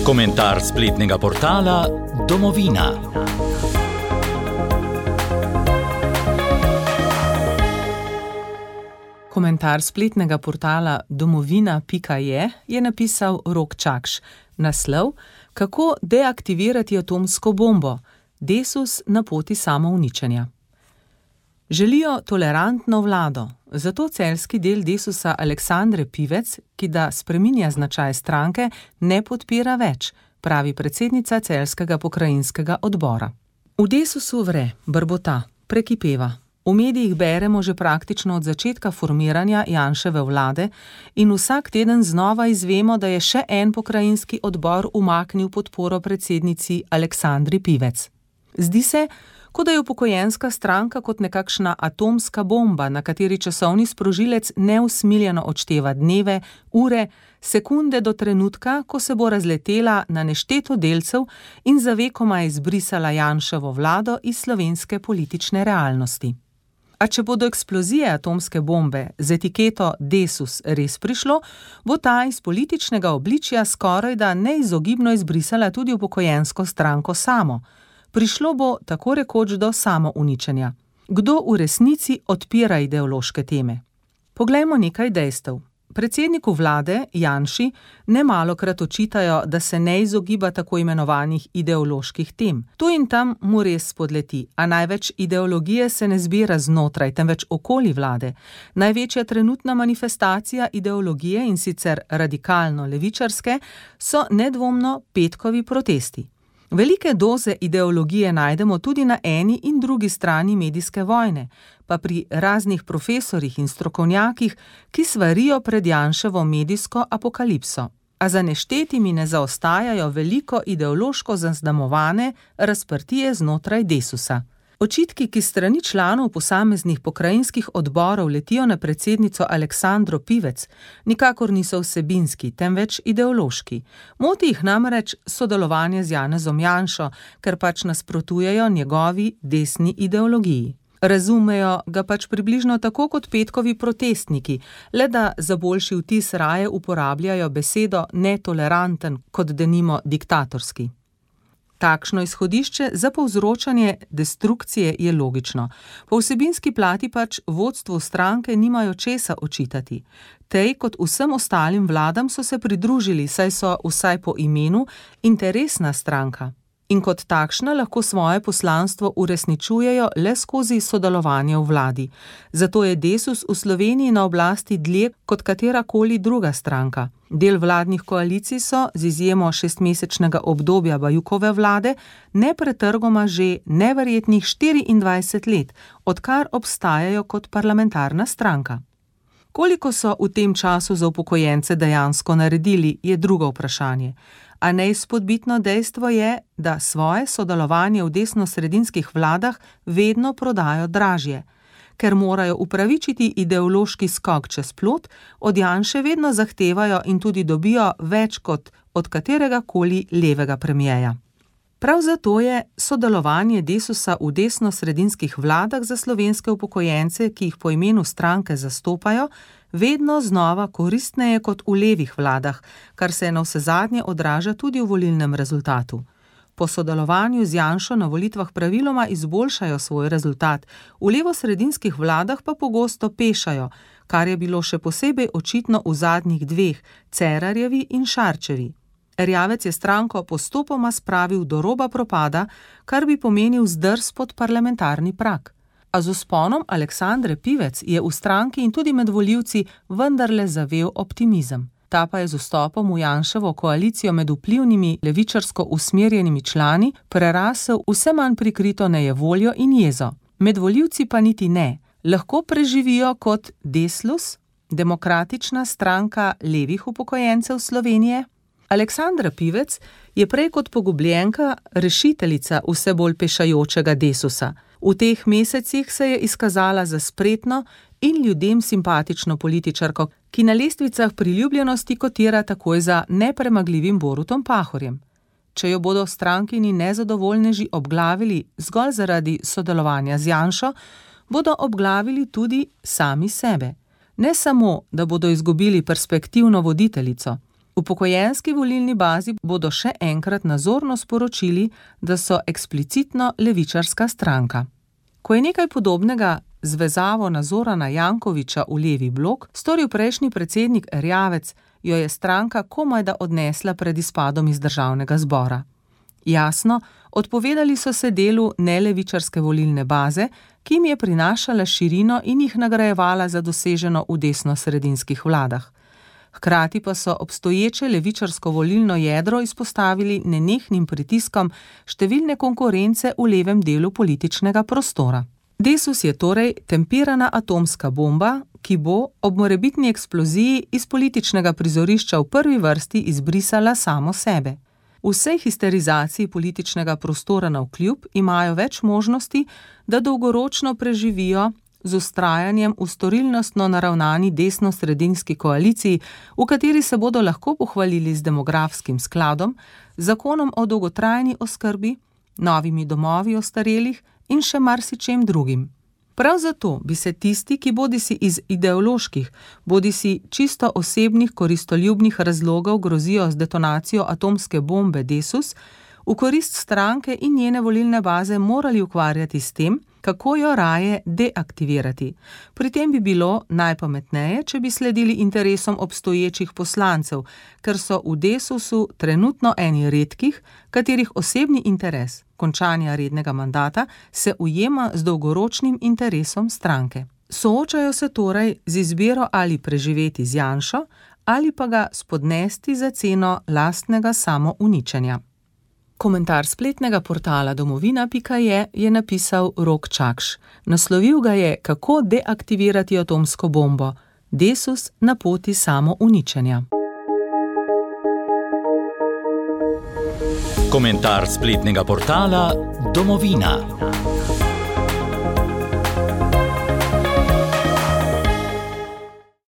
Komentar spletnega portala Domovina. Komentar spletnega portala domovina.je je napisal Rok Čakš. Naslov: Kako deaktivirati atomsko bombo? Desus na poti samouničenja. Želijo tolerantno vlado, zato celjski del Desusa Aleksandre Pivec, ki da spreminja značaj stranke, ne podpira več, pravi predsednica celjskega pokrajinskega odbora. V Desusu vre, brbota, prekipeva. V medijih beremo že praktično od začetka formiranja Janševe vlade in vsak teden znova izvemo, da je še en pokrajinski odbor umaknil podporo predsednici Aleksandri Pivec. Zdi se, kot da je upokojenska stranka kot nekakšna atomska bomba, na kateri časovni sprožilec neusmiljeno odšteva dneve, ure, sekunde do trenutka, ko se bo razletela na nešteto delcev in za vekoma izbrisala Janševo vlado iz slovenske politične realnosti. A če bo do eksplozije atomske bombe z etiketo Desus res prišlo, bo ta iz političnega obličja skorajda neizogibno izbrisala tudi upokojensko stranko samo. Prišlo bo tako rekoč do samouničenja. Kdo v resnici odpira ideološke teme? Poglejmo nekaj dejstev. Predsedniku vlade, Janši, nemalokrat očitajo, da se ne izogiba tako imenovanih ideoloških tem. Tu in tam mu res spodleti, a največ ideologije se ne zbira znotraj, temveč okoli vlade. Največja trenutna manifestacija ideologije, in sicer radikalno levičarske, so nedvomno petkovi protesti. Velike doze ideologije najdemo tudi na eni in drugi strani medijske vojne, pa pri raznih profesorjih in strokovnjakih, ki svarijo pred Janševo medijsko apokalipso. A za neštetimi ne zaostajajo veliko ideološko zaznamovane razprtije znotraj Desusa. Očitki, ki strani članov posameznih pokrajinskih odborov letijo na predsednico Aleksandro Pivec, nikakor niso vsebinski, temveč ideološki. Moti jih namreč sodelovanje z Janezom Janšo, ker pač nasprotujejo njegovi desni ideologiji. Razumejo ga pač približno tako kot petkovi protestniki, le da za boljši vtis raje uporabljajo besedo netoleranten kot denimo diktatorski. Takšno izhodišče za povzročanje destrukcije je logično. Po vsebinski plati pač vodstvu stranke nimajo česa očitati. Tej kot vsem ostalim vladam so se pridružili, saj so vsaj po imenu interesna stranka. In kot takšna lahko svoje poslanstvo uresničujejo le skozi sodelovanje v vladi. Zato je Desus v Sloveniji na oblasti dlje kot katerakoli druga stranka. Del vladnih koalicij so, z izjemo 6-mesečnega obdobja Bajukove vlade, nepretrgoma že neverjetnih 24 let, odkar obstajajo kot parlamentarna stranka. Koliko so v tem času za upokojence dejansko naredili, je drugo vprašanje. A neizpodbitno dejstvo je, da svoje sodelovanje v desnosredinskih vladah vedno prodajo dražje. Ker morajo upravičiti ideološki skok čez plot, od Janše vedno zahtevajo in tudi dobijo več kot od kateregakoli levega premierja. Prav zato je sodelovanje Desusa v desnosredinskih vladah za slovenske upokojence, ki jih po imenu stranke zastopajo, vedno znova koristneje kot v levih vladah, kar se navsezadnje odraža tudi v volilnem rezultatu. Po sodelovanju z Janšo na volitvah praviloma izboljšajo svoj rezultat, v levosredinskih vladah pa pogosto pešajo, kar je bilo še posebej očitno v zadnjih dveh, Cerarjevi in Šarčevi. Erjavec je stranko postopoma spravil do roba propada, kar bi pomenil zdrs pod parlamentarni prag. A z vzponom Aleksandre Pivec je v stranki in tudi med volivci vendarle zavel optimizem. Ta pa je z vstopom v Janševo koalicijo med vplivnimi levičarsko usmerjenimi člani prerasel vse manj prikrito nejevoljo in jezo. Med volivci pa niti ne. Lahko preživijo kot Deslus, demokratična stranka levih upokojencev Slovenije? Aleksandra Pivec je prej kot pogubljenka rešiteljica vse bolj pešajočega Desusa. V teh mesecih se je izkazala za spretno in ljudem simpatično političarko, ki na lestvicah priljubljenosti kotira takoj za nepremagljivim Borutom Pahorjem. Če jo bodo strankini nezadovoljneži obglavili zgolj zaradi sodelovanja z Janšo, bodo obglavili tudi sami sebe. Ne samo, da bodo izgubili perspektivno voditeljico. V Upokojenski volilni bazi bodo še enkrat nazorno sporočili, da so eksplicitno levičarska stranka. Ko je nekaj podobnega z vezavo na Zorana Jankovića v levi blok storil prejšnji predsednik Erjavec, jo je stranka komajda odnesla pred izpadom iz državnega zbora. Jasno, odpovedali so se delu nelevičarske volilne baze, ki jim je prinašala širino in jih nagrajevala za doseženo v desno-sredinskih vladah. Hkrati pa so obstoječe levičarsko volilno jedro izpostavili nenehnim pritiskom številne konkurence v levem delu političnega prostora. Desus je torej tempirana atomska bomba, ki bo ob morebitni eksploziji iz političnega prizorišča v prvi vrsti izbrisala samo sebe. Vsej histerizaciji političnega prostora navkljub imajo več možnosti, da dolgoročno preživijo z vztrajanjem v storilnostno naravnani desno-sredinski koaliciji, v kateri se bodo lahko pohvalili z demografskim skladom, zakonom o dolgotrajni oskrbi, novimi domovi ostarelih in še marsičem drugim. Prav zato bi se tisti, ki bodisi iz ideoloških, bodisi čisto osebnih koristoljubnih razlogov grozijo z detonacijo atomske bombe Desus, v korist stranke in njene volilne baze morali ukvarjati s tem, kako jo raje deaktivirati. Pri tem bi bilo najpametneje, če bi sledili interesom obstoječih poslancev, ker so v Desusu trenutno eni redkih, katerih osebni interes končanja rednega mandata se ujema z dolgoročnim interesom stranke. Soočajo se torej z izbiro ali preživeti z Janšo ali pa ga spodnesti za ceno lastnega samouničenja. Komentar spletnega portala domovina.je je napisal Rok Čakš. Naslovil ga je Kako deaktivirati atomsko bombo. Desus na poti samouničenja. Komentar spletnega portala Domovina.